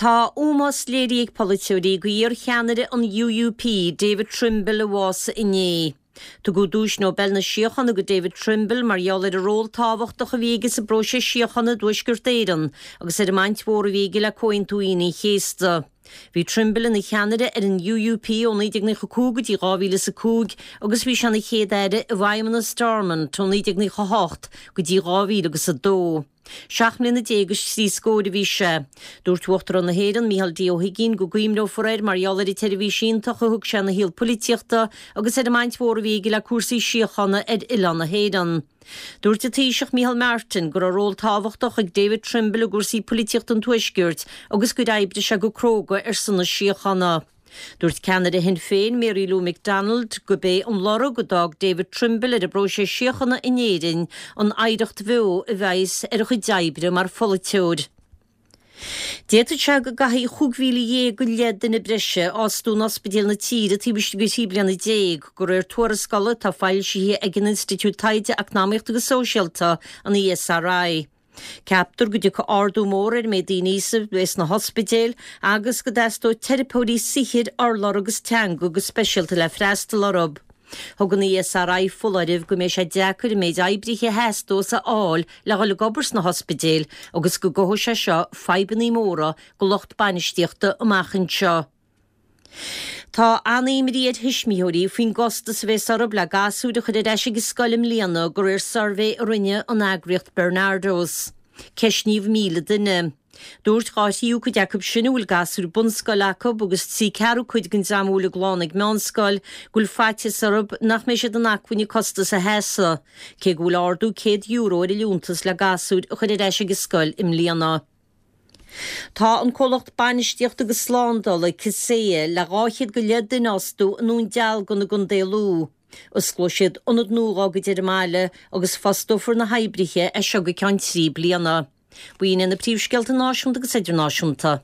Tá ómós léirithe ag polaiteoirí go iar-cheannaire an UUP, David Trimble a bhásaigh inné. Tugadh Duais Nobel na Síochána go David Trimble mar gheall ar an ról tábhachtach a bhí aige sa bpróiseas síochána i dTuaisceart Éireann agus ar an mbaint mhór a bhí aige le Comhaontú Aoine an Chéasta. Bhí Trimble ina cheannaire ar an UUP ó 1995 go dtí 2005 agus bhí sé ina Chéad-Aire i bhFeidhmeannas Stormont ó 1998 go dtí 2002. Seacht mbliana déag is trí scóir a bhí sé. Dúirt Uachtarán na hÉireann, Micheál D. Ó hUigínn, go gcuimhneofar air mar gheall ar an tseirbhís iontach a thug sé ina shaol poilitíochta agus ar an mbaint mhór a bhí aige le cúrsaí síochána ar oileán na hÉireann. Dúirt an Taoiseach Micheál Martin go raibh ról tábhachtach ag David Trimble i gcúrsaí poilitíochta an Tuaiscirt agus gur oibrigh sé go cróga ar son na síochána. Dúirt ceannaire Shinn Féin, Mary Lou McDonald, gurb é an lorg a d'fhág David Trimble ar an bpróiseas síochána in Éirinn an oidhreacht bheo a bheas ar a chuid oibre mar pholaiteoir. D'fhéadfadh sé go gcaithfí 15,000 go leith duine breise a fhostú in ospidéil na tíre taobh istigh de thrí bliana déag, de réir tuarascála atá foilsithe ag an Institiúid Taighde Eacnamaíochta agus Sóisialta, an ESRI. Ceaptar go dtiocfaidh ardú mór ar an méid daoine a bheas sna hospidéil agus go dteastóidh teiripeoirí saothair, urlabhra agus teanga go speisialta le freastal orthu. Thug an ESRI foláireamh go mbeidh sé deacair an méid oibrithe a theastós a fháil le dhul ag obair sna hospidéil agus go gcothóidh sé seo fadhbanna móra go lucht bainistíochta amach anseo. Tá an-imní ar thuismitheoirí faoin gcostas a bheas orthu le gasúir a chur ar ais ag an scoil i mbliana de réir suirbhé a rinne an eagraíocht Barnardos. Ceistníodh 1,000 duine. Dúirt dhá thríú cuid acu sin a bhfuil gasúir bunscoile acu agus trí ceathrú cuid den dream a bhfuil a gclann ag meánscoil go bhfuil faitíos orthu nach mbeidh siad in acmhainn an costas a sheasamh, cé go bhfuil ardú €100 ar an liúntas le gasúir a chur ar ais ag an scoil i mbliana. Tá an comhlacht bainistíochta agus slándála, Kaseya, le 200 go leith duine a fhostú i nDún Dealgan i gContae Lú. Osclóidh siad ionad nua dá gcuid ar an mbaile agus fostófar na hoibrithe as seo go ceann trí bliana. B'in iad na príomhscéalta náisiúnta agus idirnáisiúnta.